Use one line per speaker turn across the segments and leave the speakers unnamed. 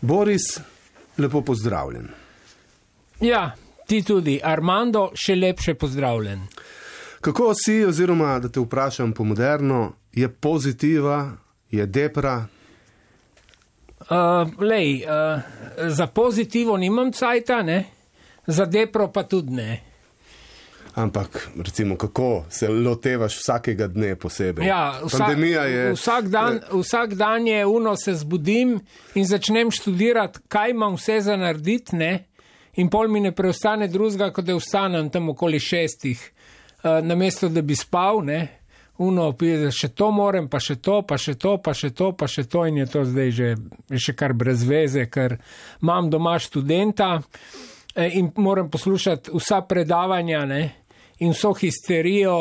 Boris, lepo pozdravljen.
Ja, ti tudi. Armando, še lepše pozdravljen.
Kako si, oziroma da te vprašam po moderno, je pozitiva, je depra?
Za pozitivo nimam cajta, ne? Za depro pa tudi ne.
Ampak, recimo, kako se lotevaš vsakega dne posebej?
Ja,
Pandemija je...
Vsak dan je se zbudim in začnem študirati, kaj imam vse za narediti, ne? In pol mi ne preostane drugega, kot da vstanem tam okoli 6, namesto da bi spal, ne? Še to morem, pa še to, pa še to, pa še to, pa še to in je to zdaj še kar brez veze, ker imam doma študenta in moram poslušati vsa predavanja, ne? In vso histerijo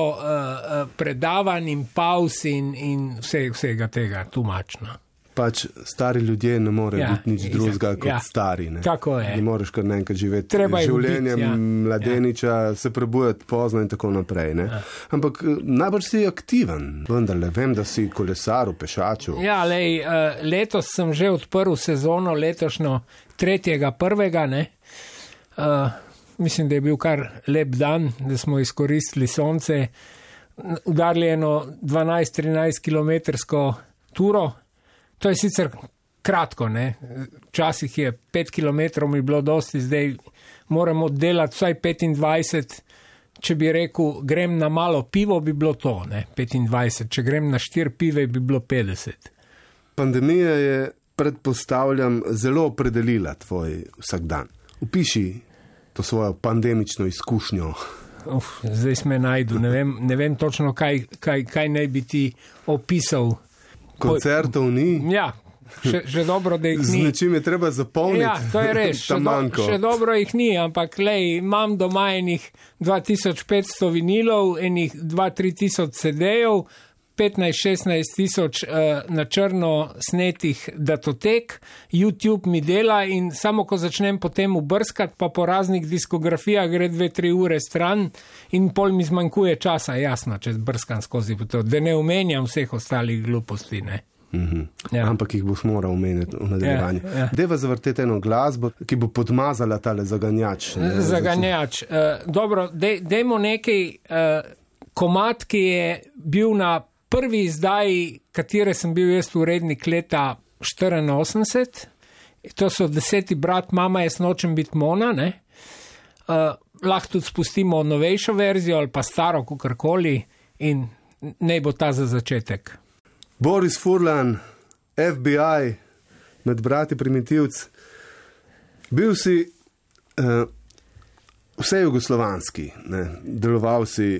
predavanj in pauz in vsega tega, tumačno.
Pač stari ljudje ne morejo biti nič drugega kot stari. Ne?
Tako je.
Ne moreš kar naenkrat živeti življenjem mladeniča, se prebujati pozno in tako naprej. Ne? Ampak najbolj si aktiven, vendarle. Vem, da si kolesar, pešaču.
Ja, letos sem že odprl sezono, letošnjo 3.1. ne. Mislim, da je bil kar lep dan, da smo izkoristili sonce, udarili eno 12-13 kilometrsko turo. To je sicer kratko, ne. Včasih je 5 kilometrov mi bilo dosti, zdaj moramo delati vsaj 25. Če bi rekel, grem na malo pivo, bi bilo to, ne, 25. Če grem na 4 pive, bi bilo 50.
Pandemija je, predpostavljam, zelo opredelila tvoj vsakdan. Opiši to svojo pandemično izkušnjo.
Zdaj sme najdu, ne vem točno, kaj naj bi ti opisal.
Koncertov ni?
Ja, še dobro, da jih ni.
Z nečim je treba zapolniti.
Ja, to je res, še dobro jih ni, ampak imam doma enih 2500 vinilov, enih 2-3 tisoč CD-jev, 15-16 tisoč na črno snetih datotek, YouTube mi dela in samo ko začnem potem ubrskati, pa po raznih diskografijah gre 2-3 ure stran in pol mi zmanjkuje časa, jasno, če brskam skozi to, da ne omenjam vseh ostalih gluposti, ne.
Ja. Ampak jih boš moral omeniti v nadaljevanju. Ja. Deva zavrteti eno glasbo, ki bo podmazala tale zaganjač.
Zaganjač. Dobro, dejmo nekaj komad, ki je bil na prvi izdaji, katere sem bil jaz urednik leta 84, to so 10. brat, mama jaz nočem biti Mona, ne? Lahko tudi spustimo novejšo verzijo ali pa staro, kakorkoli in naj bo ta za začetek.
Boris Furlan, FBI, med brati Primitivc. Bil si vse jugoslovanski, ne? Deloval si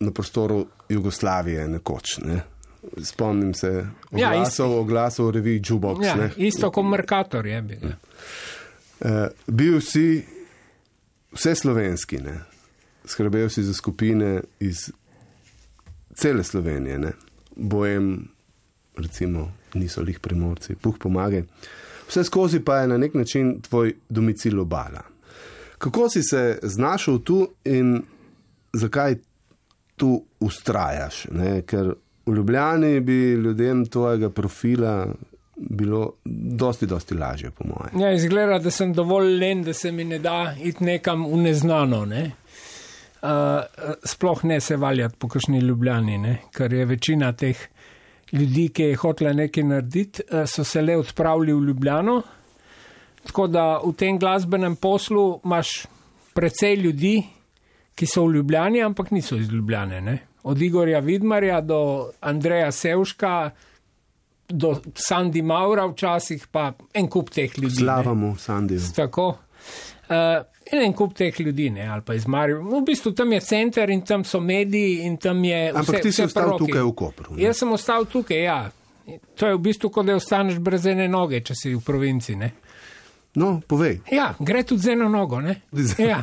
na prostoru Jugoslavije nekoč, ne? Spomnim se oglasov v reviji Jukebox.
Ja, isto kot Mercator je bil.
Bil si vse slovenski, ne? Skrbel si za skupine iz cele Slovenije, ne? Bojem, recimo, niso lih Primorci, Puh pomagaj. Vse skozi pa je na nek način tvoj domicil Obala. Kako si se znašel tu in zakaj tu ustrajaš, ne? Ker v Ljubljani bi ljudem tvojega profila bilo dosti lažje, po moje.
Ja, izgleda, da sem dovolj len, da se mi ne da iti nekam v neznano, ne. Sploh ne se valjati po kakšni Ljubljani, ne, ker je večina teh ljudi, ki je hotela nekaj narediti, so se le odpravili v Ljubljano, tako da v tem glasbenem poslu imaš precej ljudi, ki so v Ljubljani, ampak niso iz Ljubljane, ne. Od Igorja Vidmarja do Andreja Sevška, do Sandi Maura včasih, pa en kup teh ljudi.
Slavamo Sandiju.
Tako. En kup teh ljudi, ne, ali pa iz Maribora. V bistvu tam je center in tam so mediji in tam je vse.
Ampak ti si ostal tukaj v Kopru. Ne?
Jaz sem ostal tukaj, ja. To je v bistvu, kot da ostaneš brez ene noge, če si v provinci, ne.
No, povej.
Ja, gre tudi z eno nogo, ne. Ja.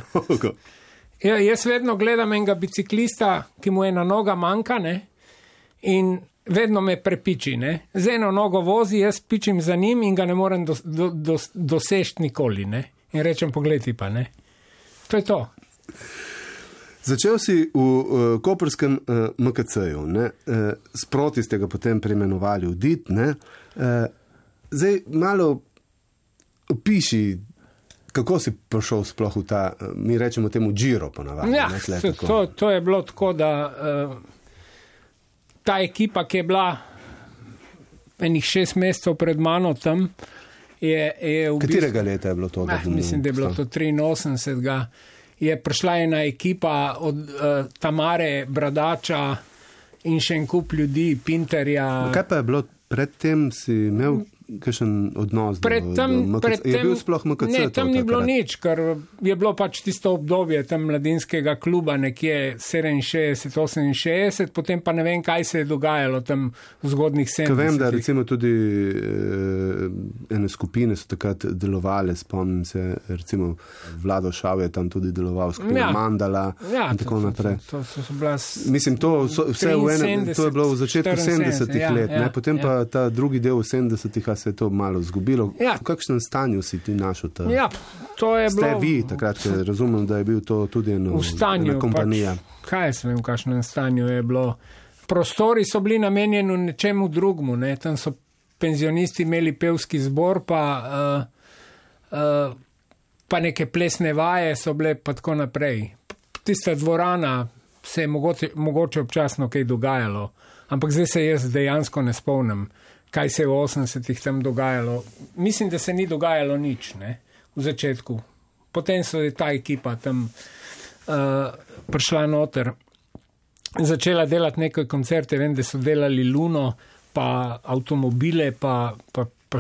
Ja, jaz vedno gledam enega biciklista, ki mu ena noga manjka, ne, in vedno me prepiči, ne. Z eno nogo vozi, jaz pičim za njim in ga ne morem doseči nikoli, ne. In rečem, poglej pa, ne. To je to.
Začel si v koprskem MKC-ju, ne. Sproti ste ga potem preimenovali v DIT, ne. Zdaj malo Opiši, kako si prišel sploh v ta, mi rečemo temu Giro ponavadi.
Ja, to je bilo tako, da ta ekipa, ki je bila enih 6 mesecev pred mano tam, je v
Katerega leta je bilo to?
Mislim, da je bilo to 83. Je prišla ena ekipa od Tamare, Bradača in še en kup ljudi, Pinterja.
Kaj pa je bilo predtem, si imel kakšen odnos do MKC? Je bil sploh MKC?
Ne, tam ni bilo nič, ker je bilo pač tisto obdobje tam mladinskega kluba nekje 67, 68, potem pa ne vem, kaj se je dogajalo tam v zgodnih 70.
Vem, da recimo tudi ene skupine so takrat delovale, spomnim se, recimo Vlado Šav je tam tudi deloval, skupina Mandala in tako naprej.
To so bila
mislim, to je bilo v začetku 70-ih let, potem pa ta drugi del v 70-ih se je to malo zgubilo. V kakšnem stanju si ti našel ta?
Ja, to je bilo...
Ste vi, takrat razumem, da je bil to tudi ena kompanija.
Pač, kaj jaz vem, v kakšnem stanju je bilo? Prostori so bili namenjeni nečemu drugmu, ne? Tam so penzionisti imeli pevski zbor, pa neke plesne vaje so bile pa tako naprej. Tista dvorana se je mogoče občasno kaj dogajalo, ampak zdaj se jaz dejansko ne spomnim, kaj se je v 80-ih tam dogajalo. Mislim, da se ni dogajalo nič, ne, v začetku. Potem so ta ekipa tam prišla noter, začela delati nekaj koncerte, vem, da so delali Luno, pa avtomobile, pa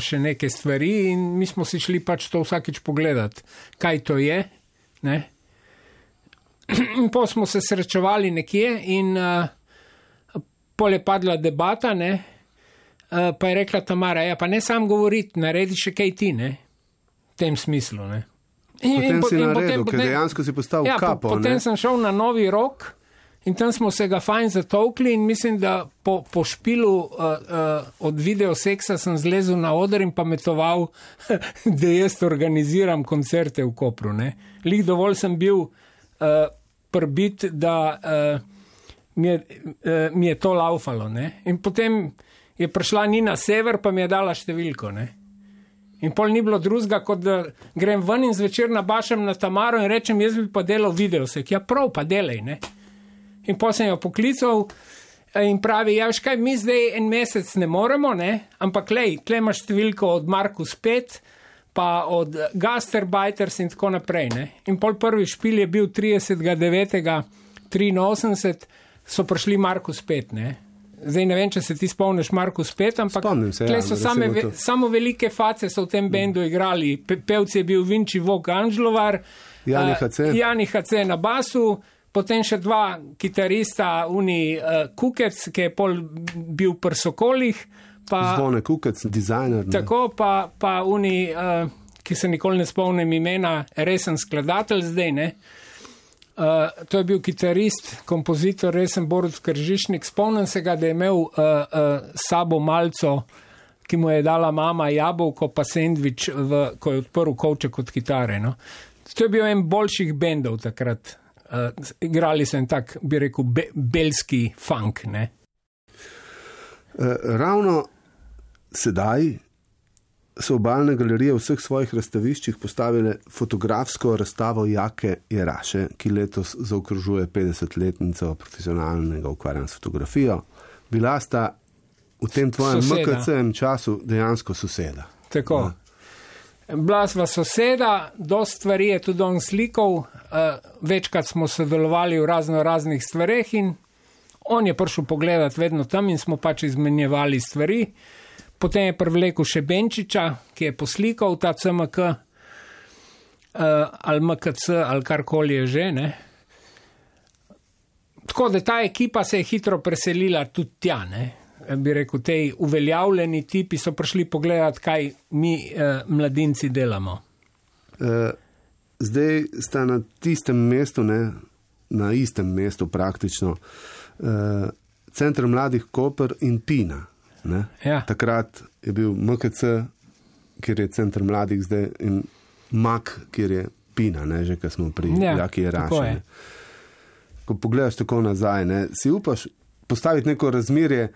še neke stvari in mi smo si šli pač to vsakič pogledati, kaj to je, ne. In pa smo se srečevali nekje in pol je padla debata, ne, pa je rekla Tamara, ja, pa ne sam govoriti, naredi še kaj ti, ne, v tem smislu, ne.
Potem si naredil, ker dejansko si postavil kapo, ne.
Potem sem šel na Novi Rok in tam smo se ga fajn zatolkli in mislim, da po špilu od videoseksa sem zlezel na oder in pametoval, da jaz organiziram koncerte v Kopru, ne. Lik dovolj sem bil prbit, da mi je to laufalo, ne. In potem je prišla Nina Sever, pa mi je dala številko, ne. In pol ni bilo drugega, kot da grem ven in zvečer nabašam na Tamaro in rečem, jaz bi pa delal videosek. Ja, prav, pa delaj, ne. In pol sem jo poklical in pravi, ja, kaj, mi zdaj en mesec ne moremo, ne, ampak lej, tle imaš številko od Markus 5, pa od Gasterbiters in tako naprej, ne. In pol prvi špil je bil 30.9.83, so prišli Markus 5, ne. Zdaj ne vem, če se ti spomniš Markus 5, ampak tle so samo velike face so v tem bendu igrali. Pevci je bil Vinči Vok Anžlovar, Jani HC na basu, potem še dva kitarista, Kukec, ki je pol bil pri Sokolih.
Zvone Kukec, dizajner.
Tako, pa ki se nikoli ne spomnim imena, resen skladatelj zdaj, ne. To je bil kitarist, kompozitor, resen Borut Kržišnik. Spomnim se ga, da je imel sabo malco, ki mu je dala mama jabolko, pa sendvič, ko je odprl kovček od kitare. No. To je bil en boljših bendov takrat. Igrali so en tak, bi rekel, belski funk. Ne.
Ravno sedaj so Obalne galerije v vseh svojih razstaviščih postavile fotografsko razstavo Jake Jeraše, ki letos zaokrožuje 50-letnico profesionalnega ukvarjanja s fotografijo. Bila sta v tem tvojem MKC-em času dejansko soseda.
Tako. Bila sva soseda, dosti stvari je tudi on slikal, večkrat smo sodelovali v raznih stvareh in on je prišel pogledati vedno tam in smo pač izmenjevali stvari. Potem je privlekel še Benčiča, ki je poslikal ta CMK, ali MKC, ali karkoli je že, ne. Tako da ta ekipa se je hitro preselila tudi tja, ne. Bi rekel, tej uveljavljeni tipi so prišli pogledati, kaj mi mladinci delamo.
Zdaj sta na tistem mestu, ne, na istem mestu praktično, Center mladih Koper in Pina. Ja. Takrat je bil MKC, kjer je Center mladih zdaj, in MAK, kjer je Pina, ne, že ko smo pri Jaki Jeraši. Ko pogledaš tako nazaj, ne, si upaš postaviti neko razmerje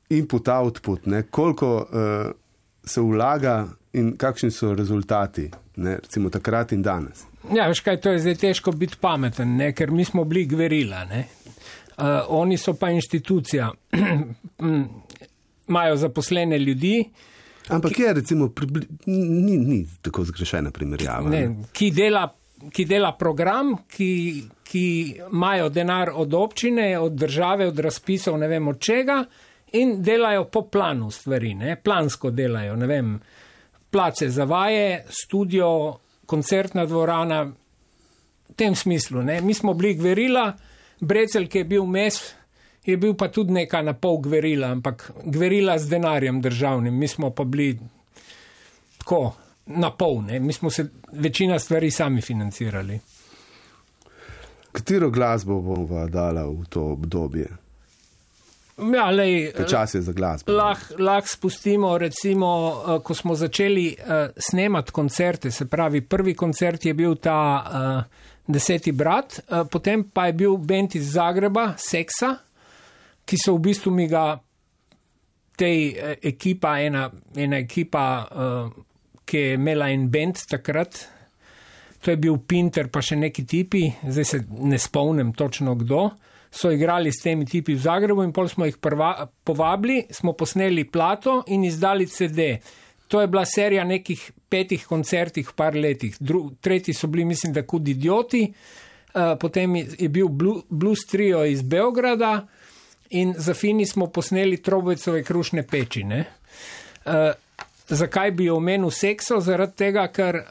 input-output, ne, koliko se vlaga in kakšni so rezultati, ne, recimo takrat in danes.
Ja, veš kaj, to je zdaj težko biti pameten, ne, ker mi smo bili gverila, ne. Oni so pa inštitucija, imajo zaposlene ljudi.
Ampak je recimo, ni tako zgrešena primerjava.
Ne, ki dela program, ki imajo denar od občine, od države, od razpisov, ne vem od čega, in delajo po planu stvari, ne, plansko delajo, ne vem, place za vaje, studio, koncertna dvorana, v tem smislu, ne. Mi smo bili gverila, Brecelj, ki je bil mes, je bil pa tudi neka na pol gverila, ampak gverila z denarjem državnim, mi smo pa bili tako na pol, ne, mi smo se večina stvari sami financirali.
Katero glasbo bova dala v to obdobje?
Ja, lej,
čas je za glasbo.
Lahko spustimo, recimo, ko smo začeli snemati koncerte, se pravi, prvi koncert je bil ta 10. brat, potem pa je bil bend iz Zagreba, Seksa, ki so v bistvu mi ga tej ekipa, ena ekipa, ki je imela en bend takrat, to je bil Pinter pa še neki tipi, zdaj se ne spomnim točno kdo, so igrali s temi tipi v Zagrebu in pol smo jih povabili, smo posneli plato in izdali CD. To je bila serija nekih 5 koncertih v par letih. Tretji so bili, mislim, da Kud idioti, potem je bil Blues Trio iz Beograda in za Fini smo posneli Trobojcove krušne peči. Ne? Zakaj bi omenil Sekso? Zaradi tega, ker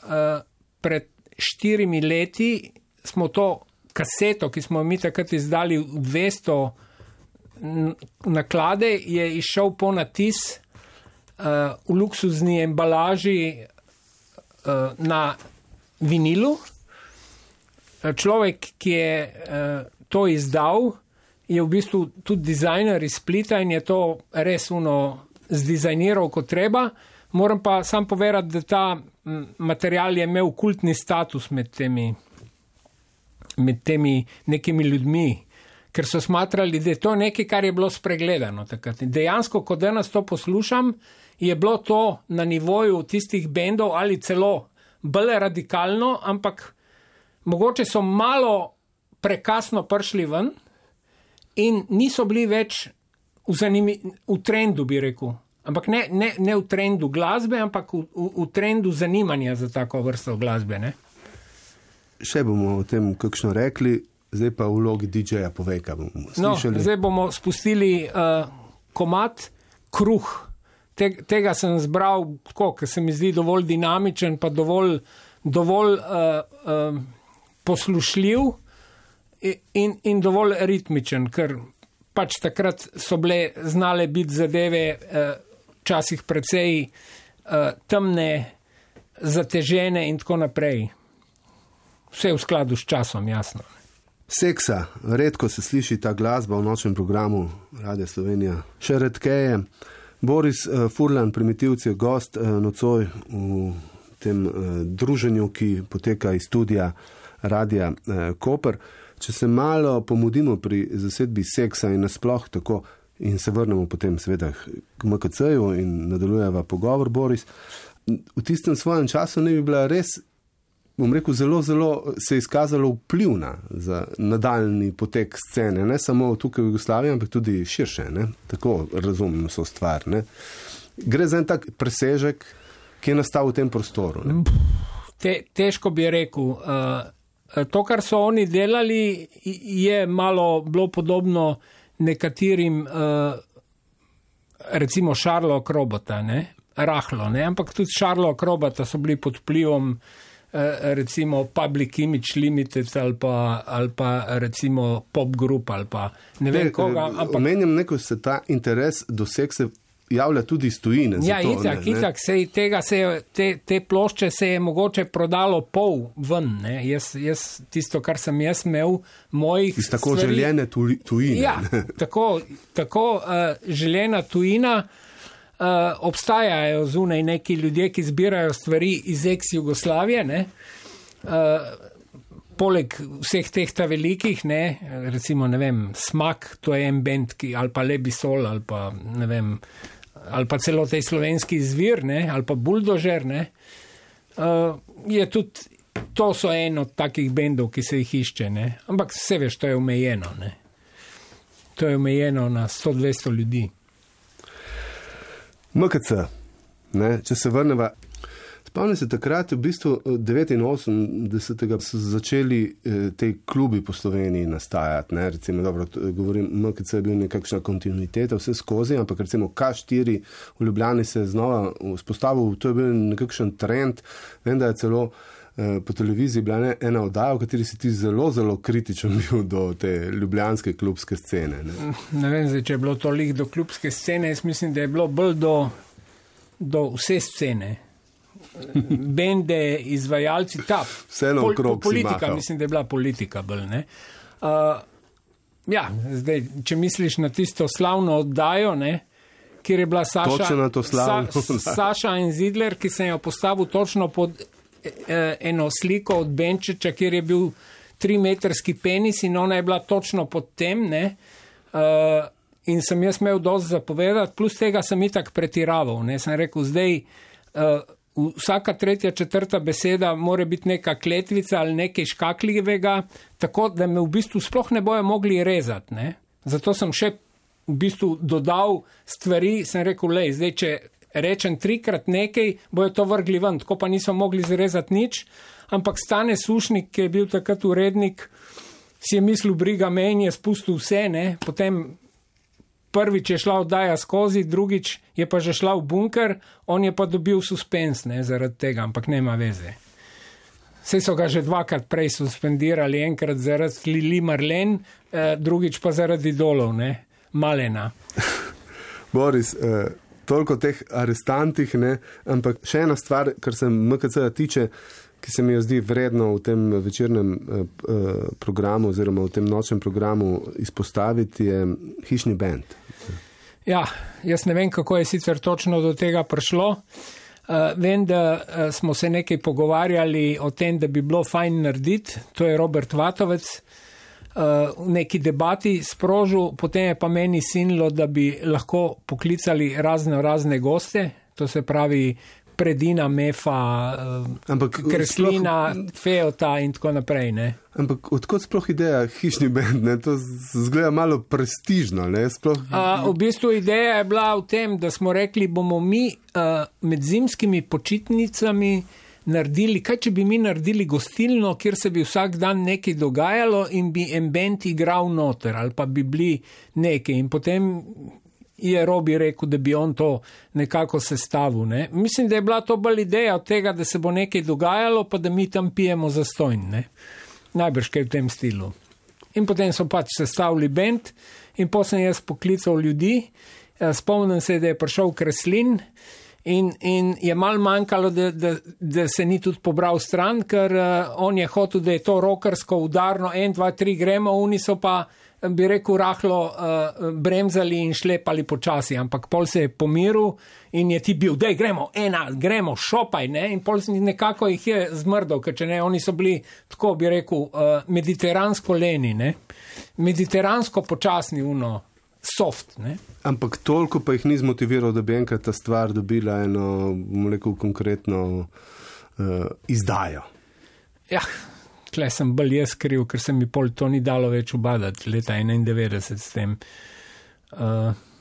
pred 4 leti smo to kaseto, ki smo mi takrat izdali 200 naklade, je išel po natis v luksuzni embalaži na vinilu. Človek, ki je to izdal, je v bistvu tudi dizajner iz Splita in je to res zdizajniral kot treba. Moram pa sam povedati, da ta material je imel kultni status med temi nekimi ljudmi, ker so smatrali, da je to nekaj, kar je bilo spregledano takrat. Dejansko, ko danes to poslušam, je bilo to na nivoju tistih bendov ali celo bolj radikalno, ampak mogoče so malo prekasno prišli ven in niso bili več v trendu, bi rekel. Ampak ne v trendu glasbe, ampak v trendu zanimanja za tako vrsto glasbe, ne?
Še bomo o tem kakšno rekli, zdaj pa v vlogi DJ-ja povej, kaj bomo slišali.
No, zdaj bomo spustili komad Kruh. Tega sem zbral tako, ker se mi zdi dovolj dinamičen, pa dovolj poslušljiv in dovolj ritmičen, ker pač takrat so bile znale biti zadeve včasih precej temne, zatežene in tako naprej. Vse v skladu s časom, jasno.
Seksa, redko se sliši ta glasba v nočnem programu Radia Slovenija. Še redkeje. Boris Furlan, Primitivci, je gost nocoj v tem druženju, ki poteka iz studija Radia Koper. Če se malo pomudimo pri zasedbi Seksa in nasploh tako in se vrnemo potem seveda k MKC-ju in nadaljujeva pogovor, Boris, v tistem svojem času ne bi bila res, bom rekel, zelo se je izkazalo vplivna za nadaljni potek scene, ne samo tukaj v Jugoslaviji, ampak tudi širše, ne? Tako razumem so stvar, ne? Gre za en tak presežek, ki je nastal v tem prostoru, ne?
Težko bi rekel. To, kar so oni delali, je malo bilo podobno nekaterim, recimo Šarlo Akrobata, ne? Rahlo, ne? Ampak tudi Šarlo Akrobata so bili pod vplivom recimo Public Image Limited ali pa recimo Pop Group ali pa ne vem koga.
Omenjam neko, se ta interes do seksa javlja tudi iz tujine.
Ja, itak, te plošče se je mogoče prodalo pol ven, ne. Jaz tisto, kar sem jaz imel, mojih
iz tako stvari, željene tujine.
Ja, tako željena tujina. Obstajajo zunaj neki ljudje, ki zbirajo stvari iz ex-Jugoslavije, ne? Poleg vseh teh ta velikih, ne? Recimo, ne vem, Smak, to je en band, ali pa Lebisol, ali pa, ne vem, ali pa celo tej slovenski zvir, ne, ali pa buldožer, ne, je tudi, to so en od takih bendov, ki se jih išče, ne, ampak vse veš, to je omejeno, ne. To je omejeno na 100-200 ljudi.
MKC, ne, če se vrneva, spomnim se takrat, v bistvu 89. so začeli te klubi po Sloveniji nastajati, ne, recimo, dobro, govorim, MKC je bil nekakšna kontinuiteta vse skozi, ampak recimo K4 v Ljubljani se je znova vzpostavil, to je bil nekakšen trend, vem, da je celo po televiziji bila ena oddaja, v kateri si ti zelo, zelo kritičen bil do te ljubljanske klubske scene.
Ne vem, zdaj, če je bilo toliko do klubske scene, jaz mislim, da je bilo bolj do vse scene. Bende, izvajalci,
vseeno okrog
politika, mislim, da je bila politika bolj, ne. Ja, zdaj, če misliš na tisto slavno oddajo, ne, kjer je bila Saša in Zidler, ki sem jo postavil točno pod eno sliko od Benčiča, kjer je bil 3-metrski penis in ona je bila točno pod tem, ne, in sem jaz imel dosti zapovedati, plus tega sem itak pretiraval, ne, sem rekel, zdaj vsaka 3., 4. beseda mora biti neka kletvica ali nekaj škakljivega, tako da me v bistvu sploh ne bojo mogli rezati, ne, zato sem še v bistvu dodal stvari, sem rekel, lej, zdaj, če rečem 3-krat nekaj, bojo to vrgli ven, tako pa niso mogli zrezati nič, ampak Stane Sušnik, ki je bil takrat urednik, si je mislil, briga me in je spustil vse, ne, potem prvič je šla oddaja skozi, drugič je pa že šla v bunker, on je pa dobil suspens, ne, zaradi tega, ampak nema veze. Saj so ga že 2-krat prej suspendirali, enkrat zaradi Lili Marlen, drugič pa zaradi Idolov, ne, Malena.
Boris, toliko teh arestantih, ne, ampak še ena stvar, kar se MKC-ja tiče, ki se mi jo zdi vredno v tem večernem programu oziroma v tem nočnem programu izpostaviti, je hišni bend.
Ja, jaz ne vem, kako je sicer točno do tega prišlo. Vem, da smo se nekaj pogovarjali o tem, da bi bilo fajn narediti, to je Robert Vatovec, v neki debati sprožil, potem je pa meni sinilo, da bi lahko poklicali razne goste, to se pravi Predina, Mefa, Kreslina, Feota in tako naprej, ne.
Ampak odkot sploh ideja hišni bend, ne, to zgleda malo prestižno, ne, sploh.
V bistvu ideja je bila v tem, da smo rekli, bomo mi med zimskimi počitnicami naredili, kaj če bi mi naredili gostilno, kjer se bi vsak dan nekaj dogajalo in bi en bend igral noter, ali pa bi bili nekaj. In potem je Robi rekel, da bi on to nekako sestavil, ne. Mislim, da je bila to bolj ideja od tega, da se bo nekaj dogajalo, pa da mi tam pijemo zastonj, ne. Najbrž kaj v tem stilu. In potem so pač sestavili bend in potem sem jaz poklical ljudi, spomnim se, da je prišel Kreslin, in je malo manjkalo, da se ni tudi pobral stran, ker on je hotel, da je to rokersko udarno, 1, 2, 3 gremo, oni so pa, bi rekel, rahlo bremzali in šlepali počasi, ampak pol se je pomiril in je ti bil, dej gremo, šopaj, ne, in pol nekako jih je zmrdal, ker če ne, oni so bili, tako bi rekel, mediteransko leni, ne, mediteransko počasni, soft, ne.
Ampak toliko pa jih ni zmotiviral, da bi enkrat ta stvar dobila eno, bomo rekel, konkretno izdajo.
Ja, tle sem bolj jaz kriv, ker se mi pol to ni dalo več ubadati leta 91 s tem.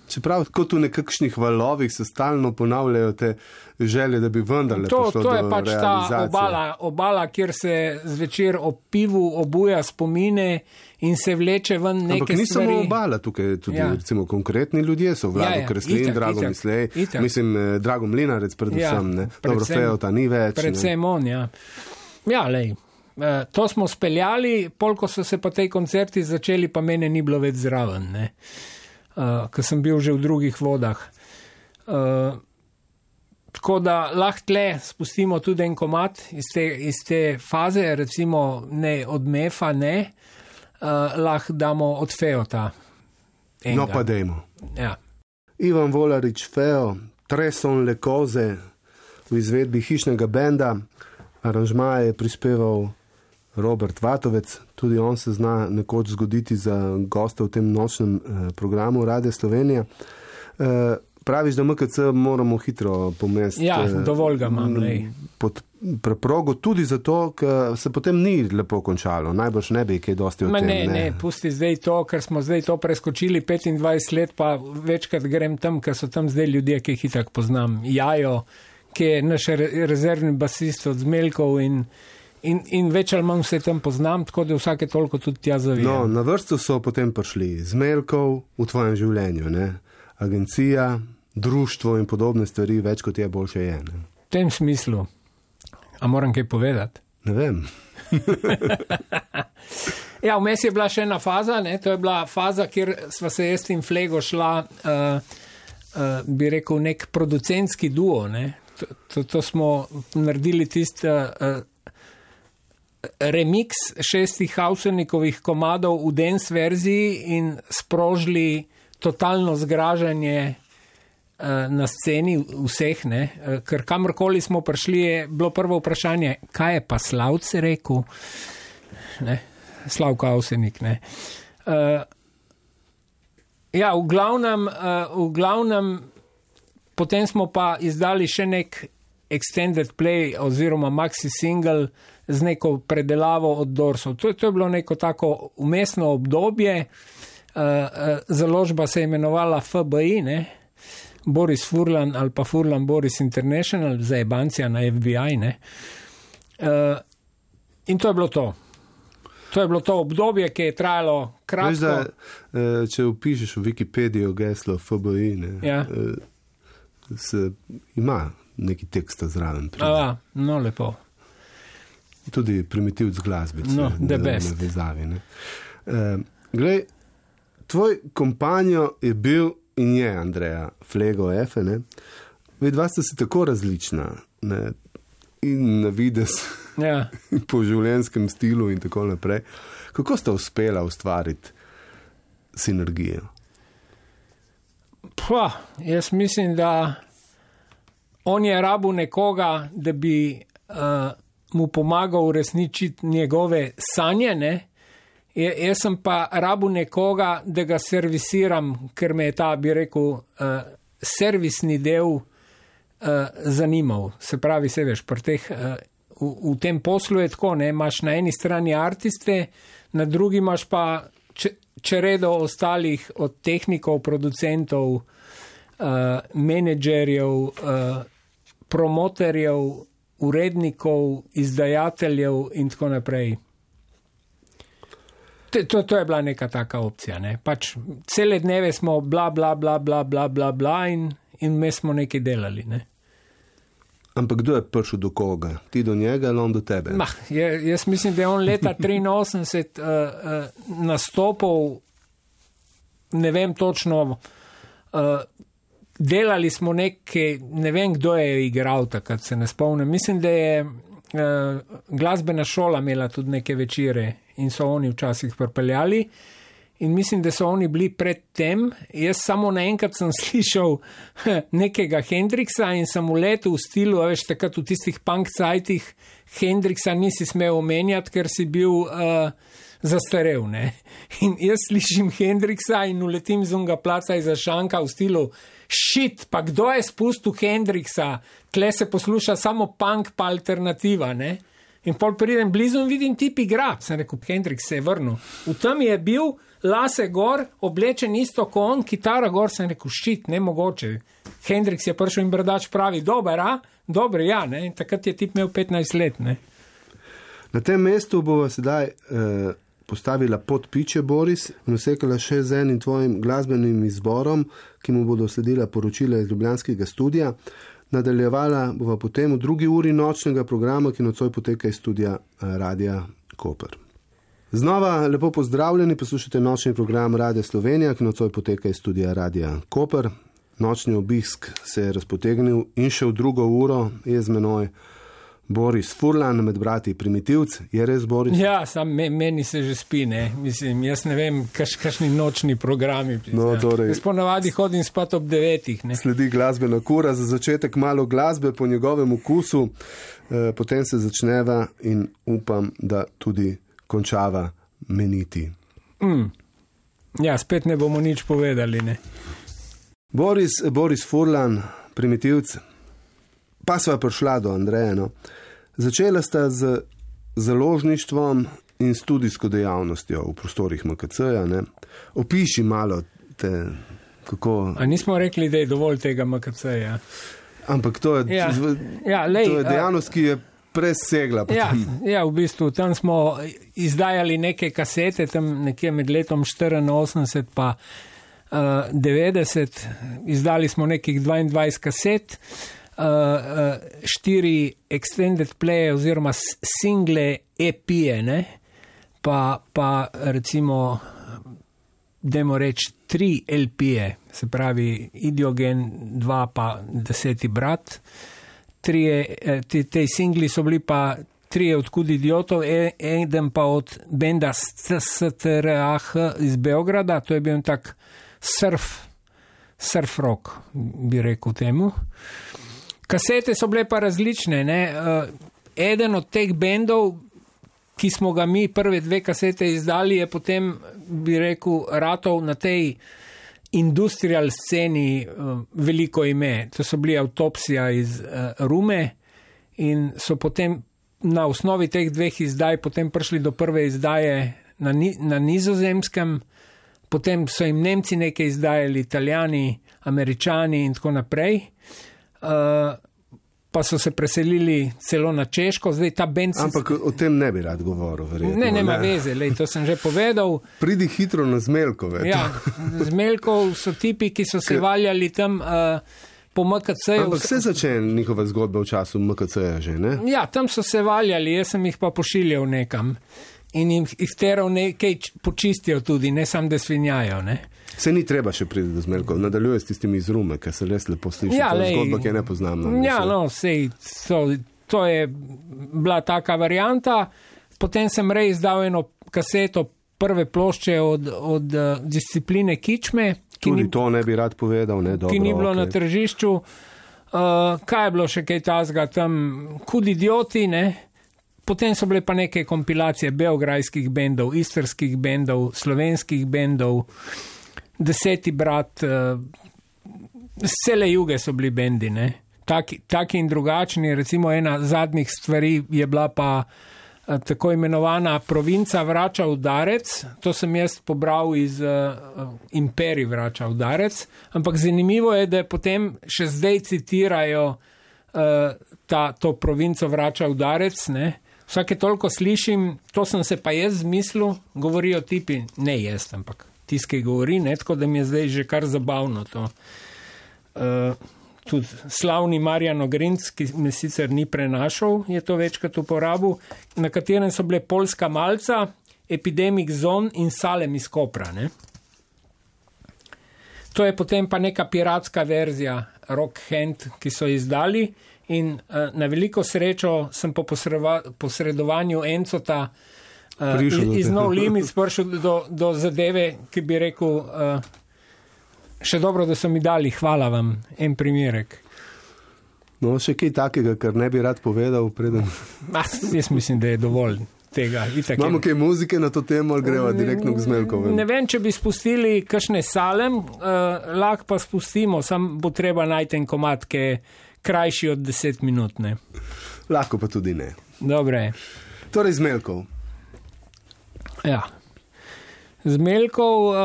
Čeprav kot v nekakšnih valovih se stalno ponavljajo te želje, da bi vendarle prišlo do realizacije. To je pač
ta obala, kjer se zvečer ob pivu obuja spomine in se vleče ven neke stvari.
Ampak ni samo obala, tukaj tudi recimo konkretni ljudje so, Vlado Kreslin, Drago Mislej, mislim, Drago Mlinarec predvsem, ne. Dobro, Feota ni več.
Predvsem on, ja. Ja, lej. To smo speljali, polko so se pa tej koncerti začeli, pa mene ni bilo več zraven, ne. Ker sem bil že v drugih vodah. Tako da lahko tle spustimo tudi en komad iz te faze, recimo ne od Mefa, ne, lahko damo od Feota.
No pa dejmo.
Ja.
Ivan Volarič, Feo, Treson le koze v izvedbi hišnega benda, aranžmaje je prispeval Robert Vatovec, tudi on se zna nekoč zgoditi za gosta v tem nočnem programu Radia Slovenija. praviš, da MKC moramo hitro pomesti.
Ja, dovolj ga imam.
Pod preprogo tudi zato, ker se potem ni lepo končalo. Najbrž ne bi kaj dosti o tem.
Ne, pusti zdaj to, ker smo zdaj to preskočili 25 let, pa večkrat grem tam, ker so tam zdaj ljudje, ki jih itak poznam. Jajo, ki je naš rezervni basist od Zmelkov in več ali manj vse tam poznam, tako da vsake toliko tudi tja zavijem.
No, na vrsto so potem prišli Zmelkov v tvojem življenju, ne? Agencija, društvo in podobne stvari, več kot je, boljše je. Ne?
V tem smislu. A moram kaj povedati?
Ne vem.
Ja, vmes je bila še ena faza, ne? To je bila faza, kjer sva se jaz in Flego šla, bi rekel, nek producentski duo, ne? To smo naredili tisti remix 6 Hausernikovih komadov v dance verziji in sprožili totalno zgražanje na sceni vseh, ne, ker kamorkoli smo prišli, je bilo prvo vprašanje, kaj je pa Slavc rekel, ne, Slavko Avsenik, ne. Ja, v glavnem, potem smo pa izdali še nek extended play oziroma maxi single z neko predelavo od Dorsov. To je bilo neko tako umestno obdobje, založba se je imenovala FBI, ne, Boris Furlan ali pa Furlan Boris International, za jebancija na FBI, ne. In to je bilo to. To je bilo to obdobje, ki je trajalo kratko.
Veš, da, če upišeš v Wikipedijo geslo FBI, ne,
ja.
Ima neki tekst zraven.
No, lepo.
Tudi primitivc glasbice.
No, the best.
Na vezavi, ne. Glej, tvoj kompanjo je bil in je Andreja Flego Efe, ne. Vidva sta si tako različna, ne, in na vides,
ja.
Po življenjskem stilu in tako naprej. Kako sta uspela ustvariti sinergijo?
Jaz mislim, da on je rabil nekoga, da bi mu pomagal uresničiti njegove sanje, ne. Jaz sem pa rabil nekoga, da ga servisiram, ker me je ta, bi rekel, servisni del zanimal. Se pravi, se veš, pri teh, v tem poslu je tako, ne, imaš na eni strani artiste, na drugi imaš pa čeredo ostalih od tehnikov, producentov, menedžerjev, promoterjev, urednikov, izdajateljev in tako naprej. To je bila neka taka opcija, ne. Pač cele dneve smo bla, bla, bla, bla, bla, bla, bla in me smo nekaj delali, ne.
Ampak kdo je prišel do koga? Ti do njega ali on do tebe?
Jaz mislim, da je on leta 83 nastopil, ne vem točno, delali smo nekaj, ne vem, kdo je igral takrat, se ne spomnim. Mislim, da je glasbena šola imela tudi neke večere in so oni včasih pripeljali in mislim, da so oni bili pred tem. Jaz samo naenkrat sem slišal nekega Hendrixa in sem uletel v stilu, veš, takrat v tistih punk cajtih Hendrixa nisi smel omenjati, ker si bil zastarel, ne. In jaz slišim Hendrixa in uletim z unga placa iza šanka v stilu shit, pa kdo je spustil Hendrixa? Tle se posluša samo punk pa alternativa, ne. In pol pridem blizu in vidim tip igra. Sem rekel, Hendrix se je vrnil. V tem je bil lase gor, oblečen isto kot on, kitara gor, sem rekel, shit, nemogoče. Hendrix je prišel in brdač pravi, dober, Dober, ja, ne. In takrat je tip imel 15 let, ne.
Na tem mestu bova sedaj postavila podpiče, Boris, in vsekala še z enim tvojim glasbenim izborom, ki mu bodo sledila poročila iz ljubljanskega studia. Nadaljevala bova potem v drugi uri nočnega programa, ki nocoj poteka iz studia Radia Koper. Znova lepo pozdravljeni, poslušate nočni program Radia Slovenija, ki nocoj poteka iz studia Radia Koper. Nočni obisk se je razpotegnil in še v drugo uro je z menoj Boris Furlan, med brati primitivc. Je res, Boris?
Ja, meni se že spi, ne. Mislim, jaz ne vem, kakšni nočni programi.
No, torej,
jaz ponavadi hodim spat ob 9, ne.
Sledi glasbena kura, za začetek malo glasbe po njegovem okusu, potem se začneva in upam, da tudi končava meniti.
Ja, spet ne bomo nič povedali, ne.
Boris Furlan, Primitivc, pa sva prišla do Andreja. No. Začela sta z založništvom in studijsko dejavnostjo v prostorih MKC-ja. Ne. Opiši malo te, kako...
A nismo rekli, da je dovolj tega MKC-ja?
Ampak to je, to je dejavnost, ki je presegla.
Ja, v bistvu tam smo izdajali neke kasete, tam nekje med letom 84 pa 90. Izdali smo nekih 22 kaset, 4 extended play oziroma single EP-je, ne? Pa recimo, dajmo reči, 3 LP-je, se pravi Idiogen 2 pa 10. brat. Te singli so bili pa 3 od Kud idiotov, eden pa od benda STRAH iz Beograda, to je bil tak surf rock, bi rekel temu. Kasete so bile pa različne, ne? Eden od teh bendov, ki smo ga mi prve 2 kasete izdali, je potem, bi rekel, ratov na tej industrial sceni veliko ime. To so bili Autopsija iz Rume in so potem na osnovi teh 2 izdaj potem prišli do prve izdaje na Nizozemskem, potem so jim Nemci nekaj izdajali, Italijani, Američani in tako naprej. Pa so se preselili celo na Češko, zdaj ta bend...
Ampak o tem ne bi rad govoril, verjetno.
Ne, nema veze, to sem že povedal.
Pridi hitro na Zmeljkove.
Ja, Zmeljkov so tipi, ki so se valjali tam po MKC-ju.
Ampak se začne njihova zgodba v času MKC-ja že, ne?
Ja, tam so se valjali, jaz sem jih pa pošiljal nekam in jih teral nekaj počistijo tudi, ne samo da svinjajo, ne?
Se ni treba še priti do Zmeljkov, nadaljuje s tistimi iz Rume, ker se res lepo sliši, to je zgodba, ki je nepoznamna.
Ja, to je bila taka varianta, potem sem izdal eno kaseto prve plošče od discipline Kičme,
tudi to ne bi rad povedal, ne, dobro,
ki ni bilo na tržišču. Kaj je bilo še kaj tazga tam? Kud idioti, ne? Potem so bile pa neke kompilacije beograjskih bendov, istrskih bendov, slovenskih bendov, 10. brat, cele juge so bili bendi, ne? Taki in drugačni, recimo ena zadnjih stvari je bila pa tako imenovana Provinca vrača udarec, to sem jaz pobral iz Imperij vrača udarec, ampak zanimivo je, da potem še zdaj citirajo to Provinco vrača udarec, ne? Vsake toliko slišim, to sem se pa jaz zmislil, govorijo tipi, ne jaz, ampak tiskaj govori, ne, tako da mi je zdaj že kar zabavno to. Tudi slavni Marjan Ogrinc, ki me sicer ni prenašal, je to večkrat uporabil, na katerem so bile Poljska malca, Epidemic Zone in Salem iz Kopra, ne. To je potem pa neka piratska verzija Rock Hand, ki so izdali in na veliko srečo sem po posredovanju Encota iz No Limits prišel do zadeve, ki bi rekel, še dobro, da so mi dali, hvala vam, en primerek.
No, še kaj takega, kar ne bi rad povedal preden?
Jaz mislim, da je dovolj tega.
Imamo kaj muzike na to temo, ali greva direktno k Zmeljkovem?
Ne vem, če bi spustili kakšne Salem, lahko pa spustimo, sam bo treba najti en komad, ki je krajši od 10 minut, ne.
Lahko pa tudi ne.
Dobre.
Torej Zmeljkov.
Ja. Zmeljkov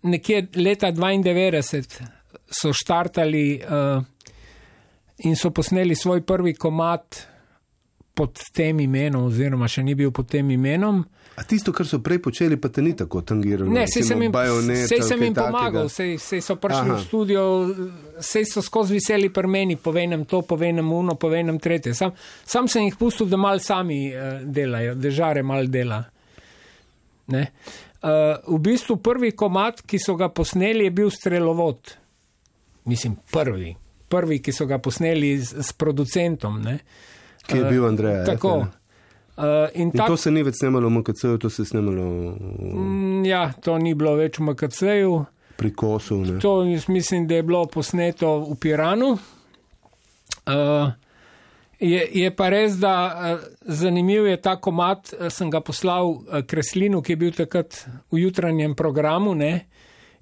nekje leta 92 so štartali in so posneli svoj prvi komad pod tem imenom, oziroma še ni bil pod tem imenom.
A tisto, kar so prej počeli, pa te ni tako tangiralo?
Ne, sej sem jim pomagal, sej so prišli v studio, sej so skozi veseli pri meni, povedem to, povedem uno, povedem tretje. Sam sem jih pustil, da mal sami delajo, da žare mal dela. Ne? V bistvu prvi komad, ki so ga posneli, je bil Strelovod. Mislim, prvi, ki so ga posneli s producentom, ne?
Ki je bil Andreja.
Tako.
In to se ni več snemalo v MKC-ju, to se je snemalo...
Ja, to ni bilo več v MKC-ju.
Pri Kosu, ne?
To mislim, da je bilo posneto v Piranu. Je pa res, da zanimiv je ta komad, sem ga poslal Kreslinu, ki je bil takrat v jutranjem programu, ne?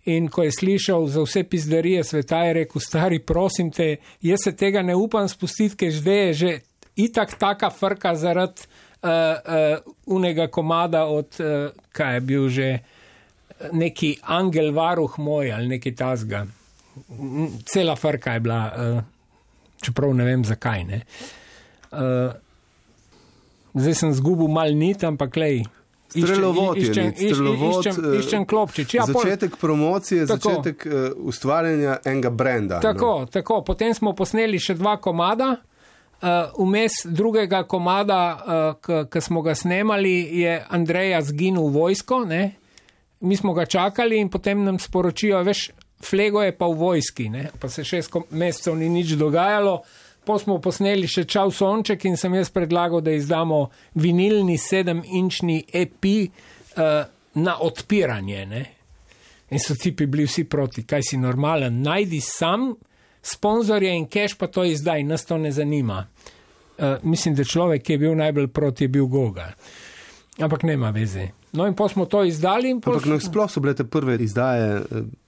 in ko je slišal za vse pizdarije sveta, je rekel, stari, prosim te, jaz se tega ne upam spustiti, ker zdaj je že itak taka frka zaradi unega komada od, kaj je bil že, neki angel varuh moj ali neki tazga. Cela frka je bila, čeprav ne vem zakaj, ne. Zdaj sem zgubil mal nit, ampak lej, iščem klopčič. Ja,
začetek promocije, začetek ustvarjanja enega brenda.
Tako. Potem smo posneli še 2 komada. Vmes drugega komada, ki smo ga snemali, je Andreja zginil v vojsko, ne. Mi smo ga čakali in potem nam sporočijo, veš, Flego je pa v vojski, ne. Pa se 6 mesecev ni nič dogajalo. Po smo posneli še Čau sonček in sem jaz predlagal, da izdamo vinilni 7-inčni EP na odpiranje, ne. In so tipi bili vsi proti, kaj si normalen, najdi sam sponzorje in cash pa to izdaj, nas to ne zanima. Mislim, da človek, ki je bil najbolj proti, je bil Goga. Ampak nema veze. No in po smo to izdali.
Ampak sploh so bile te prve izdaje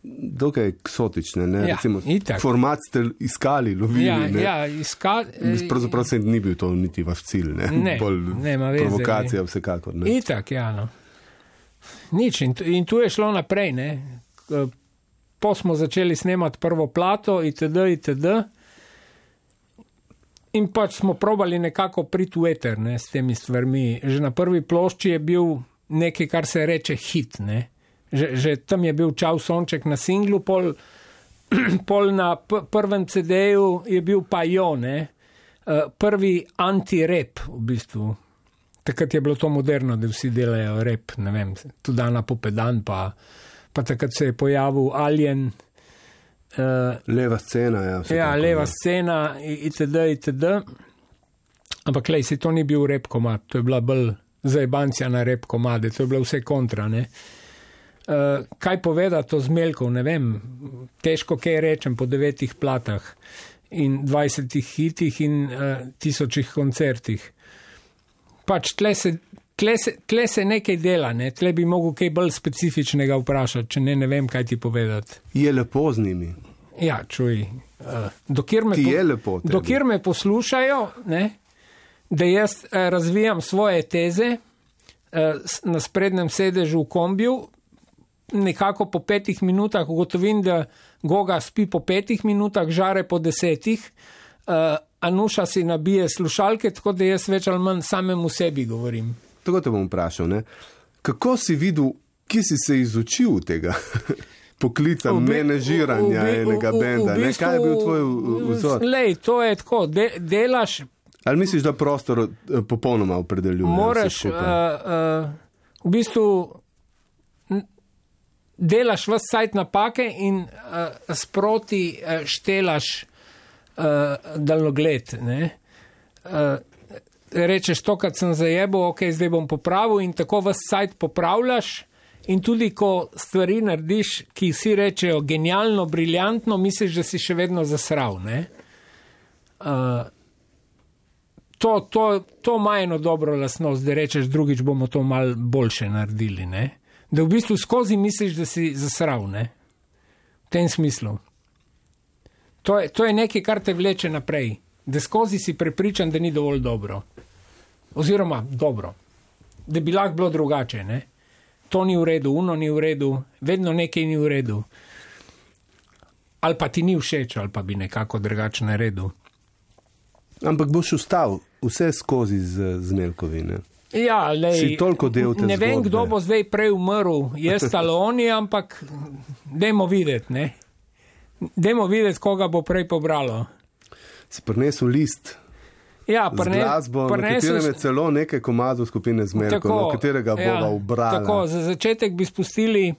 dokaj eksotične, ne?
Ja, recimo,
format ste iskali, lovili, ne?
Ja, iskali.
Pravzaprav se ni bil to niti vaš cilj, ne?
Ne, nema veze.
Provokacija vsekakor, ne?
Itak, ja, no. Nič, in tu je šlo naprej, ne? Po smo začeli snemati prvo plato, itd. In pač smo probali nekako priti v eter, ne, s temi stvarmi. Že na prvi plošči je bil nekaj, kar se reče hit, ne. Že tam je bil Čau sonček na singlu, pol na prvem CD-ju je bil pa Jo, ne. Prvi anti-rap, v bistvu. Takrat je bilo to moderno, da vsi delajo rap, ne vem, tudi Ana Popedan, pa takrat se je pojavil Alien.
Leva scena, ja.
Ja, leva scena, itd. Ampak lej, se to ni bil rap komad, to je bila bolj zajebancija na rap komade, to je bilo vse kontra, ne. Kaj povedati o Zmeljkov, ne vem, težko kaj rečem po 9 platah in 20 hitih in 1000 koncertih. Pač tle se nekaj dela, ne? Tle bi mogel kaj bolj specifičnega vprašati, če ne vem, kaj ti povedati.
Je lepo z njimi.
Ja, čuj. Dokjer me poslušajo, ne, da jaz razvijam svoje teze na sprednjem sedežu v kombiju, nekako po 5 minutah ugotovim, da Goga spi po 5 minutah, Žare po 10, Anuša si nabije slušalke, tako da jaz več ali manj samemu sebi govorim.
Tako te bom vprašal, ne? Kako si videl, ki si se izučil tega poklica menežiranja enega benda?
V bistvu,
kaj je bil tvoj vzor?
Lej, to je tako, delaš...
Ali misliš, da prostor popolnoma opredeljuje?
Moraš, v bistvu, delaš vas sajt napake in sproti štelaš daljnogled, ne? Rečeš, tokrat sem zajebil, ok, zdaj bom popravil in tako vas sajt popravljaš in tudi, ko stvari narediš, ki si rečejo genialno, briljantno, misliš, da si še vedno zasral, ne? To ima eno dobro lastnost, da rečeš, drugič bomo to malo boljše naredili, ne? Da v bistvu skozi misliš, da si zasral, ne? V tem smislu. To je nekaj, kar te vleče naprej. Da skozi si prepričan, da ni dovolj dobro. Oziroma, dobro. Da bi lahko bilo drugače, ne? To ni v redu, uno ni v redu, vedno nekaj ni v redu. Ali pa ti ni všeč, ali pa bi nekako drugače naredil.
Ampak boš ostal vse skozi z Zmeljkovi, ne?
Ja, lej,
si toliko del te zgodbe.
Ne vem, kdo bo zdaj prej umrl, jaz ali oni, ampak dajmo videti, ne? Dajmo videti, koga bo prej pobralo.
Si prinesel list z glasbo, na katerem je celo nekaj komadov skupine Zmeljkov, na katerega bova ubrala.
Tako, za začetek bi spustili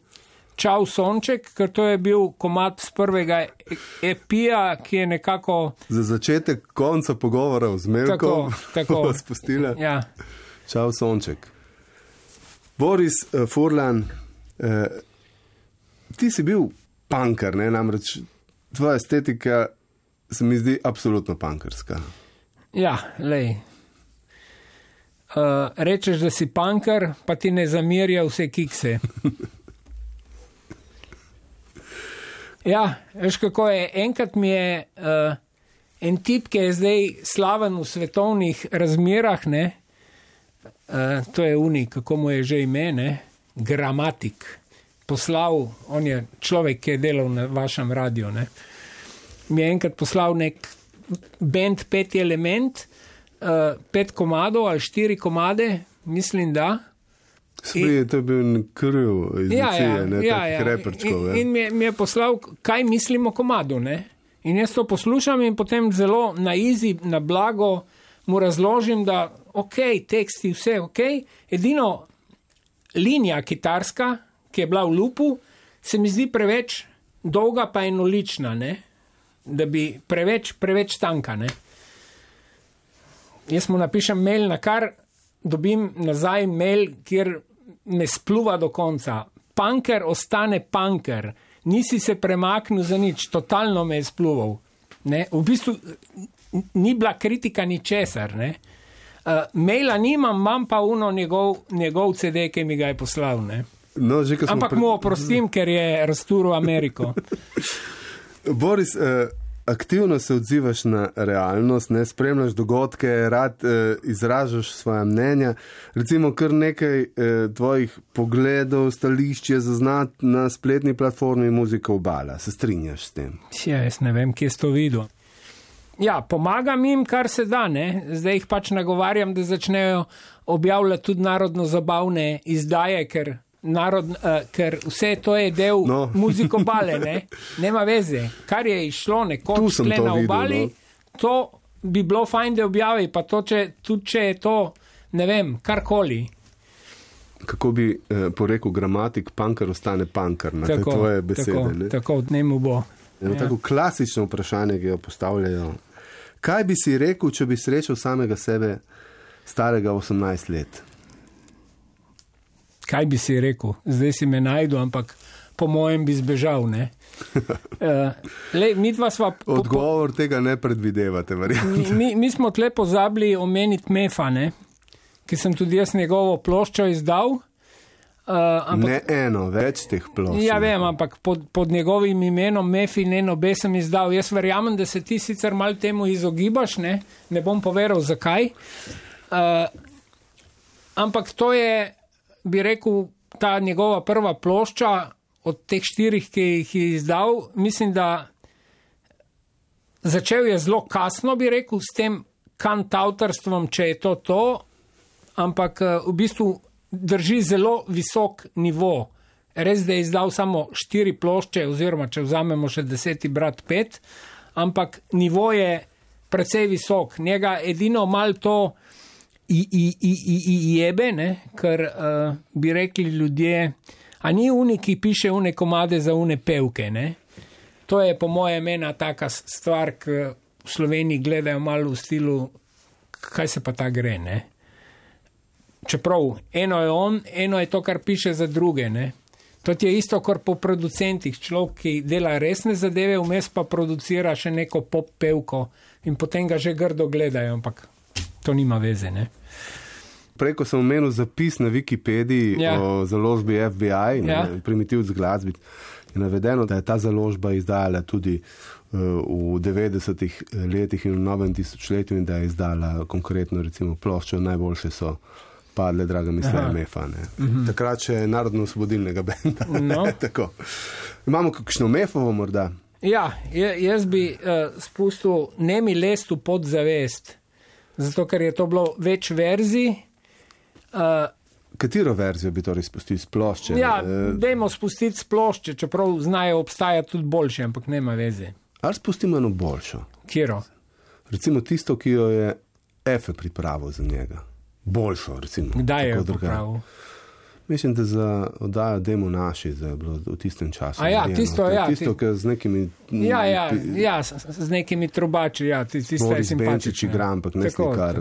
Čau sonček, ker to je bil komad z prvega EP-ja, ki je nekako...
Za začetek konca pogovora o Zmeljkov bova spustila Čau sonček. Boris Furlan, ti si bil punker, ne? Namreč tvoja estetika se mi zdi absolutno punkerska.
Ja, lej. Rečeš, da si punker, pa ti ne zamerja vse kikse. Ja, veš kako je, enkrat mi je en tip, ki je zdaj slaven v svetovnih razmerah, ne, to je kako mu je že ime, ne, Gramatik, poslal, on je človek, ki je delal na vašem radiju, ne, mi je enkrat poslal nek band 5 element, 5 komadov ali 4 komade, mislim, da.
To je bil kriv iz takih reperčkov.
In mi je poslal, kaj mislim o komadu, ne? In jaz to poslušam in potem zelo na easy, na blago mu razložim, da teksti, vse edino linija kitarska, ki je bila v loopu, se mi zdi preveč dolga pa enolična, ne? Da bi preveč tanka, ne? Jaz mu napišem mail, na kar dobim nazaj mail, kjer me spluva do konca. Punker ostane punker. Nisi se premaknil za nič. Totalno me je spluval. Ne? V bistvu ni bila kritika ničesar. Maila nimam, imam pa njegov CD, ki mi ga je poslal. Ne?
No,
ampak mu oprostim, ker je razturil Ameriko.
Boris, aktivno se odzivaš na realnost, ne spremljaš dogodke, rad izražaš svoja mnenja. Recimo kar nekaj tvojih pogledov, stališč je zaznati na spletni platformi Muzika Obala. Se strinjaš s tem?
Ja, jaz ne vem, kje si to videl. Ja, pomagam jim, kar se da, ne. Zdaj jih pač nagovarjam, da začnejo objavljati tudi narodno-zabavne izdaje, ker vse to je del Muzike Obale, ne? Nema veze. Kar je išlo nekoč tle na obali, to bi bilo fajn, da objavi, pa to, tudi če je to, ne vem, karkoli.
Kako bi porekel Gramatik, punker ostane punker, na te tvoje besede.
Tako, dnemu bo.
Tako klasično vprašanje, ki jo postavljajo. Kaj bi si rekel, če bi srečal samega sebe starega 18 let?
Kaj bi si rekel? Zdaj si me najdu, ampak po mojem bi zbežal, ne?
Odgovor tega ne predvidevate, verjamem.
Mi smo tle pozabili omeniti Mefa, ne? Ki sem tudi jaz njegovo ploščo izdal.
Ne eno, več teh plošč.
Ja, vem, ampak pod njegovim imenom Mefi Nenobe sem izdal. Jaz verjamem, da se ti sicer malo temu izogibaš, ne? Ne bom povedal, zakaj. Ampak to je, bi rekel, ta njegova prva plošča od teh 4, ki jih je izdal, mislim, da začel je zelo kasno, bi rekel, s tem kantavtorstvom, če je to, ampak v bistvu drži zelo visok nivo. Res, da je izdal samo 4 plošče, oziroma če vzamemo še 10. brat 5, ampak nivo je precej visok. Njega edino malo to jebe, ne, ker bi rekli ljudje, a ni ki piše une komade za une pevke, ne. To je po mojem ena taka stvar, ki v Sloveniji gledajo malo v stilu, kaj se pa ta gre, ne. Čeprav eno je on, eno je to, kar piše za druge, ne. To je isto, kot po producentih, človek, ki dela resne zadeve, vmes pa producira še neko pop pevko in potem ga že grdo gledajo, ampak to nima veze, ne.
Preko sem omenil zapis na Wikipediji o založbi FBI, Primitivc glasbi. Je navedeno, da je ta založba izdala tudi v 90-ih letih in v novem tisočletju in da je izdala konkretno recimo ploščo Najboljše so padle, draga misla, Mefa. Takrat še narodno-osvobodilnega benda. No. Tako. Imamo kakšno Mefovo morda?
Ja, jaz bi spustil Nemi lest v podzavest, zato ker je to bilo več verzij.
Katero verzijo bi torej spustili s plošče?
Ja, dajmo spustiti s plošče, čeprav znajo obstajati tudi boljše, ampak nema veze.
Ali spustimo eno boljšo?
Kjero?
Recimo tisto, ki jo je Efe pripravil za njega. Boljšo, recimo.
Kdaj je pripravil?
Mislim, da za oddajo Demo naši, za bilo v tistem času.
Tisto,
Tisto, ki z nekimi...
z nekimi trubači, tisto je simpatično.
Boris Benčič igra, ampak ne slikar.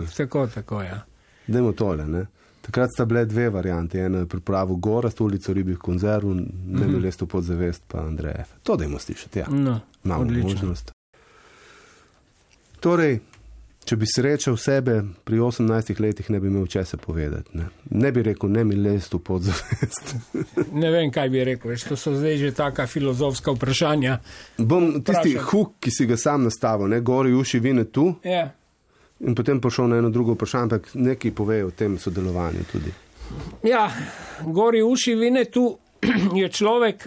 Tako, ja.
Dajmo tole, ne? Takrat sta bile 2 variante. Eno je pripravil Gorazd, Ulico ribjih konzerv, Nemi lest v podzavest, pa Andrej Efe. To dajmo slišati, ja.
No,
imamo
odlično.
Možnost. Torej, če bi srečal sebe pri 18 letih, ne bi imel česa povedati. Ne bi rekel, ne mi lest v podzavest.
Ne vem, kaj bi rekel, to so zdaj že taka filozofska vprašanja.
Bom tisti huk, ki si ga sam nastavil, gori uši vine tu, in potem pošel na eno drugo vprašanje, ampak nekaj pove o tem sodelovanju tudi.
Ja, gori uši vine tu je človek,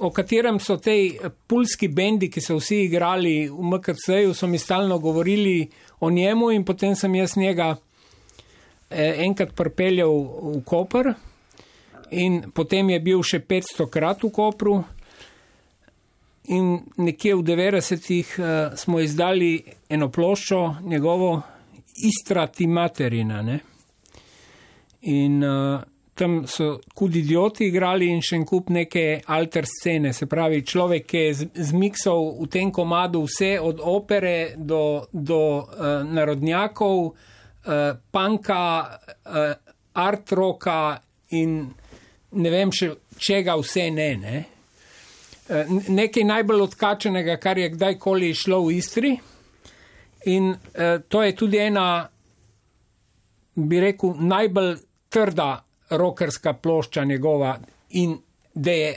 o katerem so tej pulski bendi, ki so vsi igrali v MKC-ju, so mi stalno govorili o njemu in potem sem jaz njega enkrat pripeljal v Koper in potem je bil še 500krat v Kopru in nekje v 90-ih smo izdali eno ploščo njegovo Istra ti materina, ne? In tam so Kud idioti igrali in še en kup neke alter scene, se pravi človek, ki je zmiksal v tem komadu vse od opere do narodnjakov, punka, art rocka in ne vem še čega vse ne. Nekaj najbolj odkačenega, kar je kdajkoli šlo v Istri in to je tudi ena, bi rekel, najbolj trda rockerska plošča njegova in da je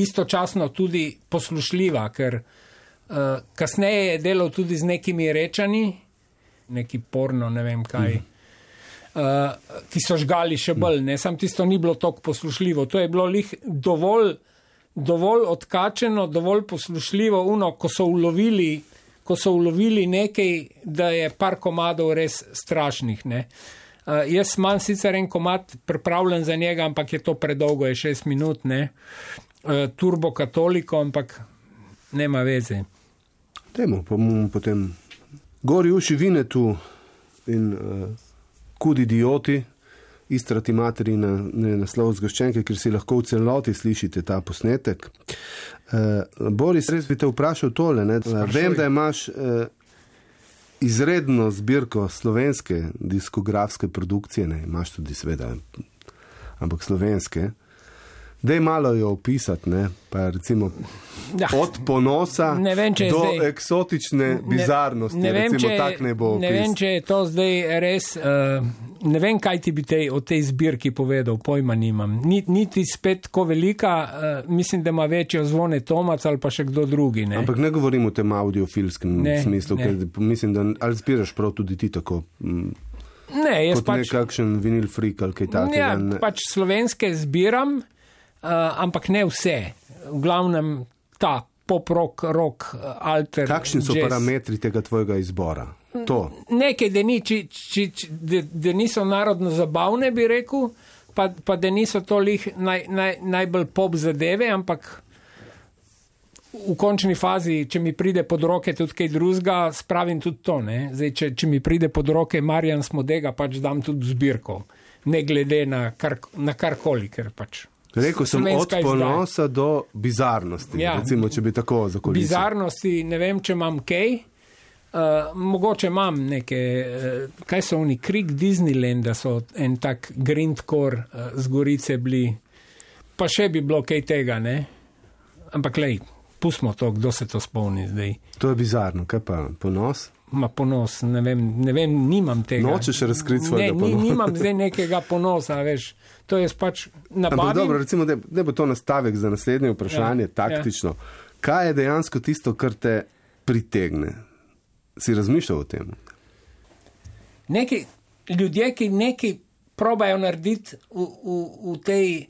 istočasno tudi poslušljiva, ker kasneje je delal tudi z nekimi rečani, neki porno, ne vem kaj, ki so žgali še bolj, ne, sam tisto ni bilo toliko poslušljivo, to je bilo lih dovolj odkačeno, dovolj poslušljivo, ko so ulovili nekaj, da je par komadov res strašnih, ne. Jaz imam sicer en komad pripravljen za njega, ampak je to predolgo, je 6 minut, ne. Turbo katoliko, ampak nema veze.
Dajmo, pa bomo potem gori uši vine tu in Kud idioti, Istra ti materina, naslov zgoščenke, ker si lahko v celoti slišite ta posnetek. Boris, res bi te vprašal tole, ne. Vem, da imaš izredno zbirko slovenske diskografske produkcije, ne, imaš tudi seveda, ampak slovenske. Daj malo jo opisati, ne, pa recimo od ponosa do eksotične bizarnosti, recimo tak ne bo opis.
Ne vem, če je to zdaj res, ne vem, kaj ti bi o tej zbirki povedal, pojma nimam. Niti spet ko velika, mislim, da ima večjo Zvone Tomac ali pa še kdo drugi, ne.
Ampak ne govorim o tem audiofilskem smislu, ker mislim, da ali zbiraš prav tudi ti tako,
ne, jaz
kot nekakšen vinil freak ali kaj takega.
Ja, pač slovenske zbiram, ampak ne vse. V glavnem ta pop-rock, rock, alter,
kakšni so jazz. Parametri tega tvojega izbora? To.
Nekaj, da niso narodno zabavne, bi rekel, pa da niso to lih najbolj pop zadeve, ampak v končni fazi, če mi pride pod roke tudi kaj drugega, spravim tudi to, ne. Zdaj, če mi pride pod roke Marjan Smodega, pač dam tudi zbirko. Ne glede na karkoli, ker pač
rekel sem od ponosa do bizarnosti, ja, recimo, če bi tako zakolisil.
Bizarnosti, ne vem, če imam kaj, mogoče imam neke, kaj so oni, Krik Disneylanda so en tak grindcore z Gorice bili, pa še bi bilo kaj tega, ne, ampak lej, pustimo to, kdo se to spomni zdaj.
To je bizarno, kaj pa, ponos?
Ma ponos, ne vem, nimam tega.
Nočeš razkriti svojega ponosa?
Ne, nimam zdaj nekega ponosa, veš, to je pač nabavim.
Ampak dobro, recimo, da bo to nastavek za naslednje vprašanje, taktično. Ja. Kaj je dejansko tisto, kar te pritegne? Si razmišljal o tem?
Neki ljudje, ki nekaj probajo narediti v tej,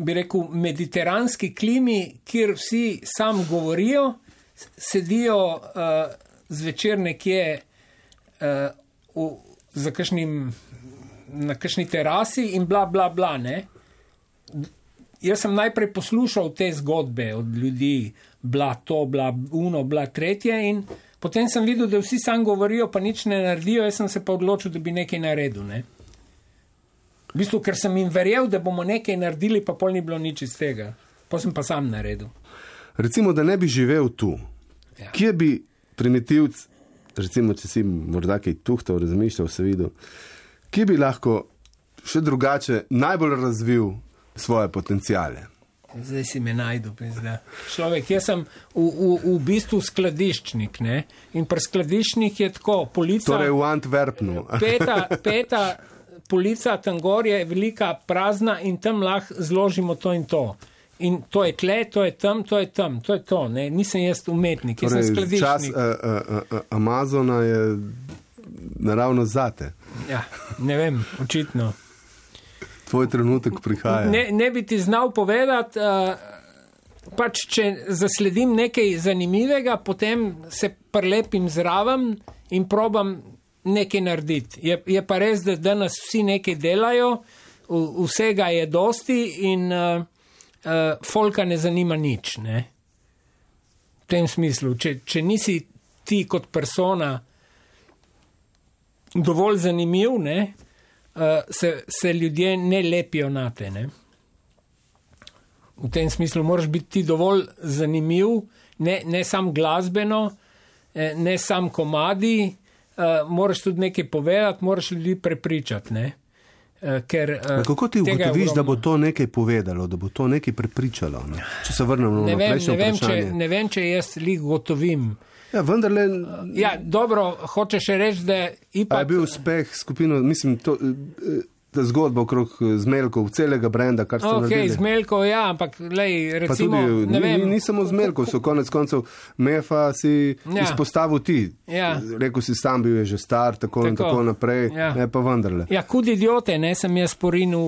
bi rekel, mediteranski klimi, kjer vsi sam govorijo, sedijo zvečer nekje na kakšni terasi in bla, bla, bla, ne. Jaz sem najprej poslušal te zgodbe od ljudi, bla to, bla uno, bla tretje in potem sem videl, da vsi sam govorijo, pa nič ne naredijo, jaz sem se pa odločil, da bi nekaj naredil, ne. V bistvu, ker sem jim verjel, da bomo nekaj naredili, pa pol ni bilo nič iz tega. Pa sem pa sam naredil.
Recimo, da ne bi živel tu. Ja. Kje bi primitivc, recimo, če si morda kaj tuhtal, razmišljal, se videl, kje bi lahko še drugače najbolj razvil svoje potencijale?
Zdaj si me najdu, pizda. Človek, jaz sem v bistvu skladiščnik, ne? In pri skladiščnik je tako, polica...
Torej v Antwerpnu.
Peta polica tam gor je velika prazna in tam lahko zložimo to in to. In to je tle, to je tam, to je tam, to je to, ne? Nisem jaz umetnik, jaz sem skladiščnik.
Čas Amazona je naravno zate.
Ja, ne vem, očitno.
Tvoj trenutek prihaja.
Ne bi ti znal povedati, pač če zasledim nekaj zanimivega, potem se prilepim zraven in probam nekaj narediti. Je pa res, da danes vsi nekaj delajo, vsega je dosti in folka ne zanima nič. Ne? V tem smislu, če nisi ti kot persona dovolj zanimiv, ne? Se ljudje ne lepijo na te. Ne? V tem smislu moraš biti ti dovolj zanimiv, ne sam glasbeno, ne sam komadi, moraš tudi nekaj povedati, moraš ljudi prepričati. Ne? Ker,
kako ti ugotoviš, da bo to nekaj povedalo, da bo to nekaj prepričalo? Ne? Če se vrnemo na prejšnje vprašanje.
Ne vem, če jaz lih gotovim.
Ja, vendarle...
Ja, dobro, hočeš reči, da...
A je bil uspeh skupino, mislim, ta zgodba okrog Zmeljkov, celega brenda, kar ste naredili.
Zmeljkov, ja, ampak lej, recimo,
pa tudi,
ne vem...
Ni samo Zmeljkov, so konec koncev Mefa si izpostavil ti. Ja. Rekel si, sam bil je že star, tako in tako naprej, ne pa vendarle.
Ja, kud idiote, ne, sem jaz porinil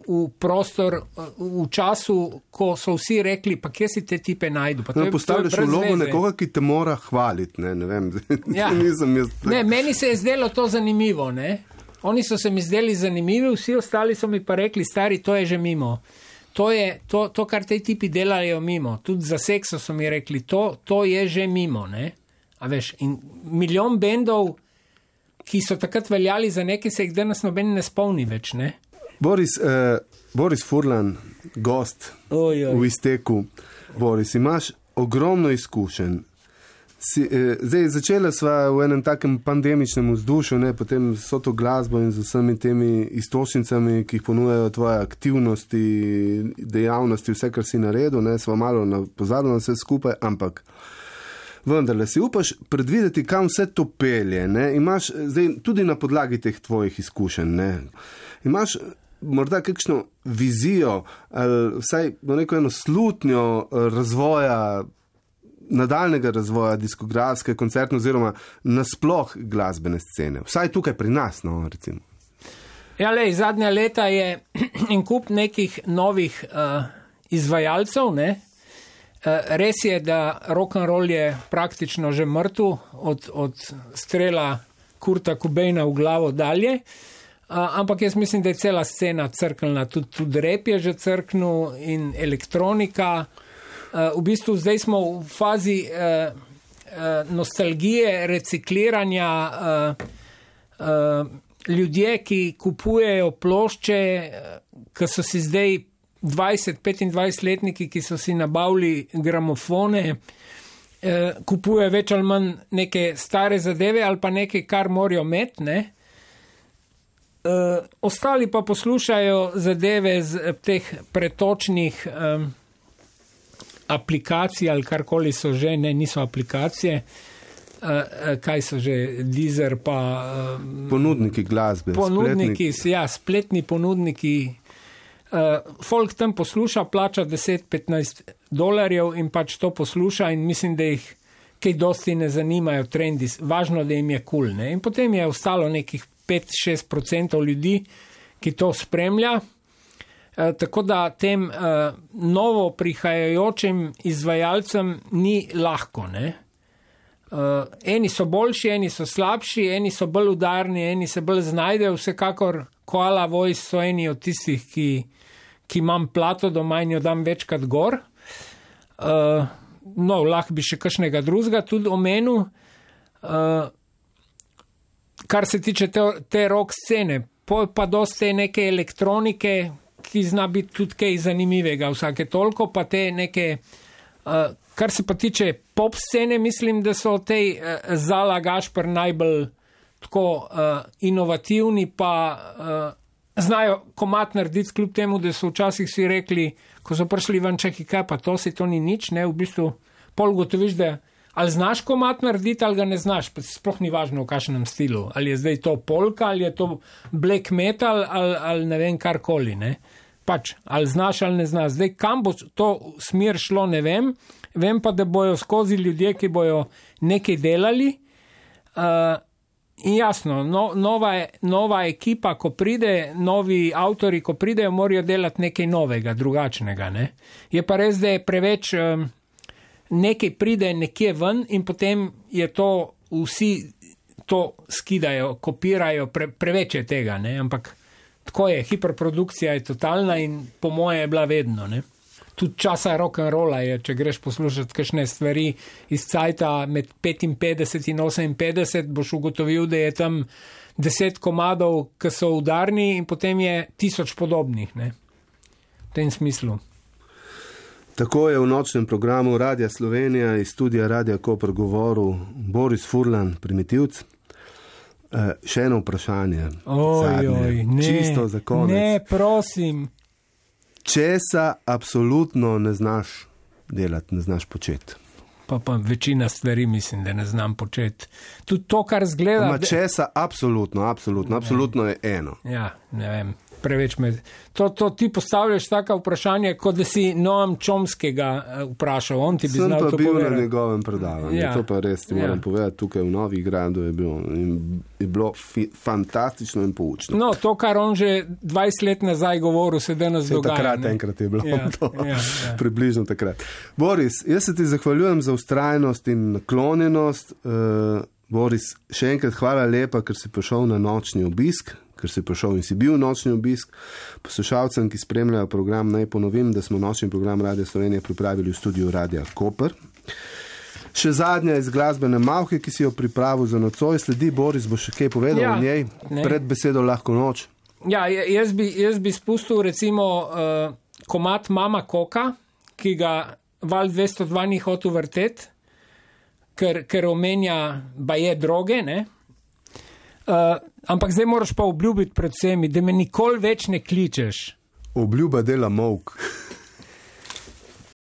v prostor v času, ko so vsi rekli, pa kje si te tipe najdu.
Postavljaš vlogo nekoga, ki te mora hvaliti, ne vem.
Ja. Ne, meni se je zdelo to zanimivo, ne. Oni so se mi zdeli zanimivi, vsi ostali so mi pa rekli, stari, to je že mimo. To kar te tipi delajo mimo. Tudi za sekso so mi rekli, to je že mimo, ne? A veš, in milijon bendov, ki so takrat veljali za nekaj, se jih danes noben ne spomni več, ne?
Boris Furlan, gost v Izteku. Boris, imaš ogromno izkušenj. Zdaj, začela sva v enem takem pandemičnem vzdušju, ne, potem so to glasbo in z vsemi temi istočnicami, ki jih ponujajo tvoje aktivnosti, dejavnosti, vse, kar si naredil, ne, sva malo pozabila vse skupaj, ampak vendarle si upaš predvideti, kam vse to pelje, ne, imaš zdaj tudi na podlagi teh tvojih izkušenj, ne, imaš morda kakšno vizijo, ali vsaj neko eno slutnjo razvoja, nadaljnega razvoja diskografske, koncertne oziroma nasploh glasbene scene. Vsaj tukaj pri nas, no, recimo.
Ja, lej, zadnja leta je en kup nekih novih izvajalcev, ne. Res je, da rock'n'roll je praktično že mrtev od strela Kurta Cobaina v glavo dalje, ampak jaz mislim, da je cela scena crknila, tudi rap je že crknil in elektronika. V bistvu zdaj smo v fazi nostalgije, recikliranja, ljudje, ki kupujejo plošče, ki so si zdaj 20-25-letniki, ki so si nabavili gramofone, kupujejo več ali manj neke stare zadeve ali pa nekaj, kar morajo imeti, ne. Ostali pa poslušajo zadeve z teh pretočnih aplikacij ali karkoli so že, ne, niso aplikacije, kaj so že, Deezer pa...
Ponudniki glasbe.
Ponudniki, ja, spletni ponudniki. Folk tam posluša, plača $10-15 in pač to posluša in mislim, da jih kaj dosti ne zanimajo trendi, važno, da jim je cool, ne. In potem je ostalo nekih 5-6% ljudi, ki to spremlja. Tako da tem novo prihajajočim izvajalcem ni lahko, ne. Eni so boljši, eni so slabši, eni so bolj udarni, eni se bolj znajdejo, vsekakor Koala Voice so eni od tistih, ki imam plato doma in jo dam večkrat gor. No, lahko bi še kakšnega drugega tudi omenil. Kar se tiče te rock scene, pa dosti neke elektronike, ki zna biti tudi kaj zanimivega vsake toliko, pa te neke, kar se pa tiče pop scene, mislim, da so tej Zala Gašper najbolj tako inovativni, pa znajo komad narediti, kljub temu, da so včasih si rekli, ko so prišli ven, čakaj, kaj pa to ni nič, ne, v bistvu pol gotoviš, da ali znaš komad narediti, ali ga ne znaš, pa sploh ni važno v kakšnem stilu, ali je zdaj to polka, ali je to black metal, ali ne vem, karkoli, ne. Pač, ali znaš ali ne znaš. Zdaj, kam bo to smer šlo, ne vem. Vem pa, da bojo skozi ljudje, ki bojo nekaj delali. In jasno, nova ekipa, ko pride, novi avtori, ko pridejo, morajo delati nekaj novega, drugačnega. Ne? Je pa res, da je preveč nekaj pride nekje ven in potem je to vsi to skidajo, kopirajo, preveč je tega, ne? Ampak tako je, hiperprodukcija je totalna in po moje je bila vedno, ne. Tudi časa rock'n'rolla je, če greš poslušati kakšne stvari iz cajta med 55 in 58, boš ugotovil, da je tam 10 komadov, ki so udarni in potem je 1000 podobnih, ne. V tem smislu.
Tako je v nočnem programu Radia Slovenija iz studia Radia Koper govoril Boris Furlan, Primitivc. Še eno vprašanje. Čisto za konec.
Ne, prosim.
Česa absolutno ne znaš delati, ne znaš početi?
Pa večina stvari mislim, da ne znam početi. Tudi to, kar zgleda...
Česa absolutno je eno.
Ja, ne vem. Preveč me... To ti postavljaš taka vprašanje, kot da si Noam Chomskega vprašal. On ti bi znal to povedati.
Sem pa bil na njegovem predavanju. Ja. To pa res ti moram povedati. Tukaj v Novih Gradu je bilo fantastično in poučno.
No, to, kar on že 20 let nazaj govoril, se danes dogaja.
Takrat enkrat je bilo to. Približno takrat. Boris, jaz se ti zahvaljujem za ustrajnost in naklonjenost. Boris, še enkrat hvala lepa, ker si prišel na nočni obisk. Ker si prišel in si bil nočni obisk. Poslušalcem, ki spremljajo program, naj ponovim, da smo nočni program Radia Slovenije pripravili v studiu Radia Koper. Še zadnja iz glasbene malhe, ki si jo pripravil za nocoj, sledi Boris, bo še kaj povedal o njej, pred besedo Lahko noč.
Ja, jaz bi spustil recimo komad Mama Koka, ki ga Val 202 ni hotel vrteti, ker omenja baje droge, ne? Ampak zdaj moraš pa obljubiti pred vsemi, da me nikoli več ne kličeš.
Obljuba dela molk.